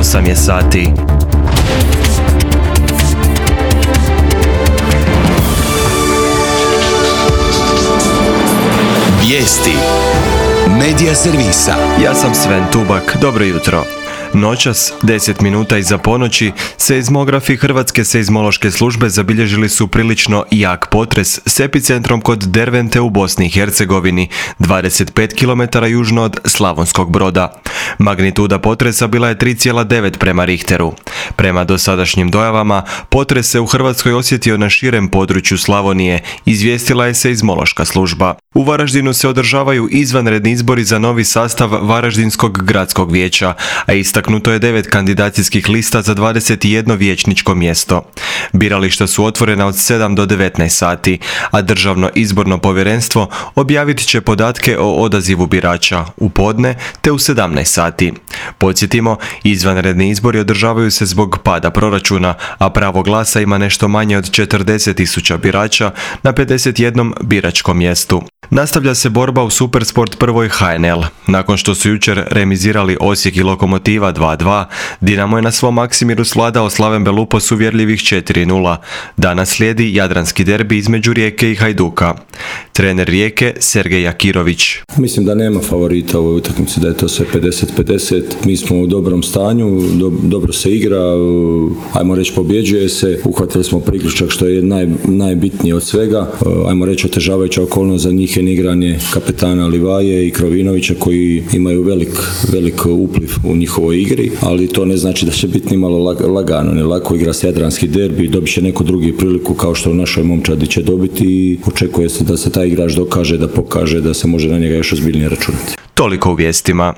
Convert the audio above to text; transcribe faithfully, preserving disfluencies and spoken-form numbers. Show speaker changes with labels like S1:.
S1: osam je sati.
S2: Vijesti Medija servisa.
S1: Ja sam Sven Tubak, dobro jutro. Noćas, deset minuta iza ponoći, seizmografi Hrvatske seizmološke službe zabilježili su prilično jak potres s epicentrom kod Dervente u Bosni i Hercegovini, dvadeset pet kilometara južno od Slavonskog Broda. Magnituda potresa bila je tri zarez devet prema Richteru. Prema dosadašnjim dojavama, potres se u Hrvatskoj osjetio na širem području Slavonije, izvijestila je seizmološka služba. U Varaždinu se održavaju izvanredni izbori za novi sastav Varaždinskog gradskog vijeća, a istaknuto je devet kandidacijskih lista za dvadeset jedno vijećničko mjesto. Birališta su otvorena od sedam do devetnaest sati, a Državno izborno povjerenstvo objavit će podatke o odazivu birača u podne te u sedamnaest sati. Podsjetimo, izvanredni izbori održavaju se zbog pada proračuna, a pravo glasa ima nešto manje od četrdeset tisuća birača na pedeset jednom biračkom mjestu. Nastavlja se borba u Supersport prvoj H N L. Nakon što su jučer remizirali Osijek i Lokomotiva dva dva, Dinamo je na svom Maksimiru svladao Slaven Belupo s uvjerljivih četiri nula. Danas slijedi jadranski derbi između Rijeke i Hajduka. Trener Rijeke, Sergej Jakirović.
S3: Mislim da nema favorita u ovoj utakmici, da je to sve pedeset pedeset. Mi smo u dobrom stanju, do, dobro se igra, ajmo reći pobjeđuje se, uhvatili smo priključak što je naj, najbitnije od svega. Ajmo reći otežavajuća okolnost za njih je igranje kapetana Livaje i Krovinovića koji imaju velik, velik upliv u njihovoj igri, ali to ne znači da će biti ni malo lagano, ne lako igra se jadranski derbi, dobit će neku drugi priliku kao što u našoj momčadi će dobiti i očekuje se da se taj igrač dokaže, da pokaže da se može na njega još ozbiljnije računati.
S1: Toliko u vijestima.